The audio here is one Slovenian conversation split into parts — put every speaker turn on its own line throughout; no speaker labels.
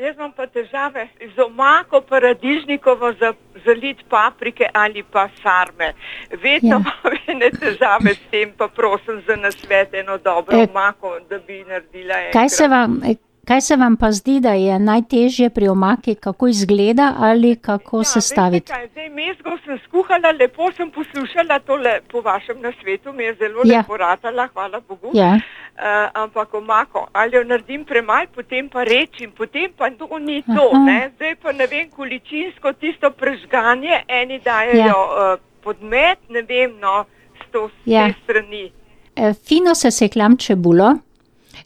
jaz imam pa težave z omako paradižnikovo zaliti paprike ali pa sarme. Vedno imam ene težave s tem, pa prosim za nasvet, eno dobro omako, da bi naredila enkrat.
Kaj se vam pa zdi, da je najtežje pri omaki, kako izgleda ali kako sestaviti?
Veste kaj, zdaj mezgo sem skuhala, lepo sem poslušala tole po vašem nasvetu, mi je zelo lepo ratala, hvala Bogu. Ampak omako, ali jo naredim premalo, potem pa rečim, potem pa to ni to, ne. Zdaj pa ne vem, količinsko tisto prežganje, eni dajejo podmet, ne vem, no, s te strani.
Fino sesekljam čebulo,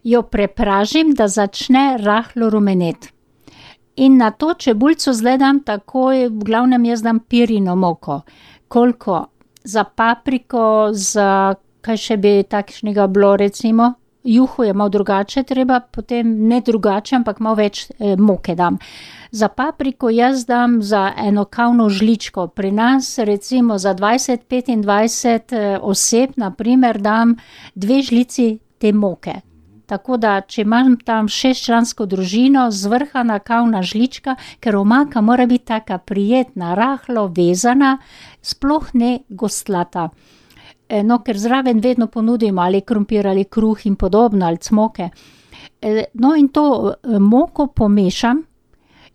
jo prepražim, da začne rahlo rumeneti. In na to čebulico zdaj dam takoj, v glavnem jaz dam pirino moko. Koliko? Za papriko, za kaj še bi takšnega bilo recimo? Juho je malo drugače treba, potem ne drugače, ampak malo več moke dam. Za papriko jaz dam za eno kavno žličko. Pri nas recimo za 20-25 oseb, na primer, dam 2 žlici te moke. Tako da, če imam tam 6-člansko družino, zvrhana kavna žlička, ker omaka mora biti taka prijetna, rahlo vezana, sploh ne gostlata. No, ker zraven vedno ponudimo ali krompir ali kruh in podobno, ali cmoke. No, in to moko pomešam.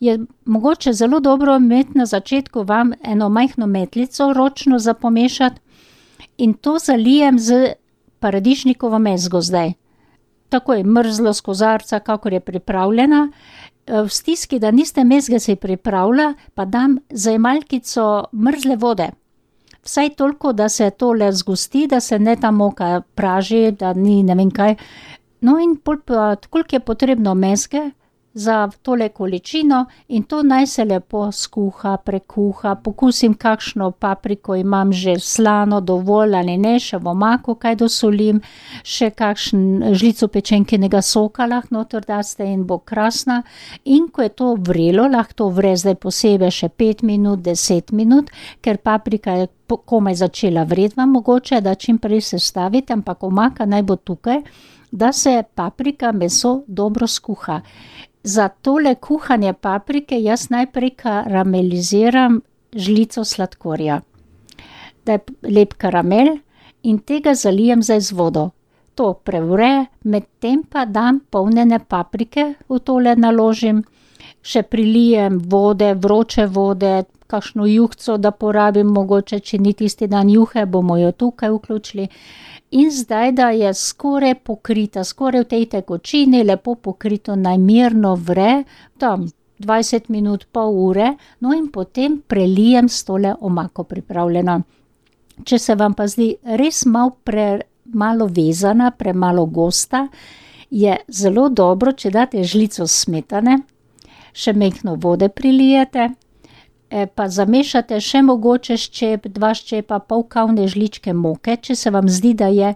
Je mogoče zelo dobro imeti na začetku vam eno majhno metlico ročno za pomešati in to zalijem z paradižnikovo mezgo zdaj. Tako je mrzlo z kozarca, kakor je pripravljena. V stiski, da niste mezge se pripravila, pa dam zajemalkico mrzle vode. Vsaj toliko, da se tole zgosti, da se ne ta moka praži, da ni ne vem kaj. No in koliko je potrebno mezge za tole količino in to naj se lepo skuha, prekuha, pokusim kakšno papriko imam že slano dovolj ali ne, še v omaku kaj dosolim, še kakšen žlico pečenkinega soka lahko noter daste in bo krasna. In ko je to vrelo, lahko to vre zdaj posebej še 5 minut, 10 minut, ker paprika je komaj začela vreti vam mogoče, da čim prej sestavite, ampak omaka naj bo tukaj, da se paprika, meso dobro skuha. Za tole kuhanje paprike jaz najprej karameliziram žlico sladkorja. Da je lep karamel in tega zalijem zdaj z vodo. To prevre, medtem pa dam polnjene paprike, v tole naložim, še prilijem vode, vroče vode, kakšno juhico, da porabim mogoče, če ni tisti dan juhe, bomo jo tukaj vključili. In zdaj, da je skoraj pokrita, skoraj v tej tekočini, lepo pokrito, naj mirno vre, tam 20 minut, pol ure, no in potem prelijem s tole omako pripravljeno. Če se vam pa zdi res malo vezana, premalo gosta, je zelo dobro, če date žlico smetane, še majhno vode prilijete, pa zamešate še mogoče ščep, 2 ščepa, pol kavne žličke moke, če se vam zdi, da je,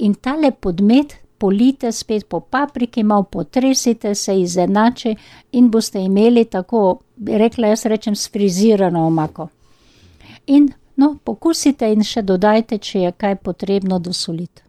in tale podmet polijte spet po papriki, malo potresite, se izenači in boste imeli tako, rekla jaz rečem, sfrizirano omako. In, no, pokusite in še dodajte, če je kaj potrebno dosoliti.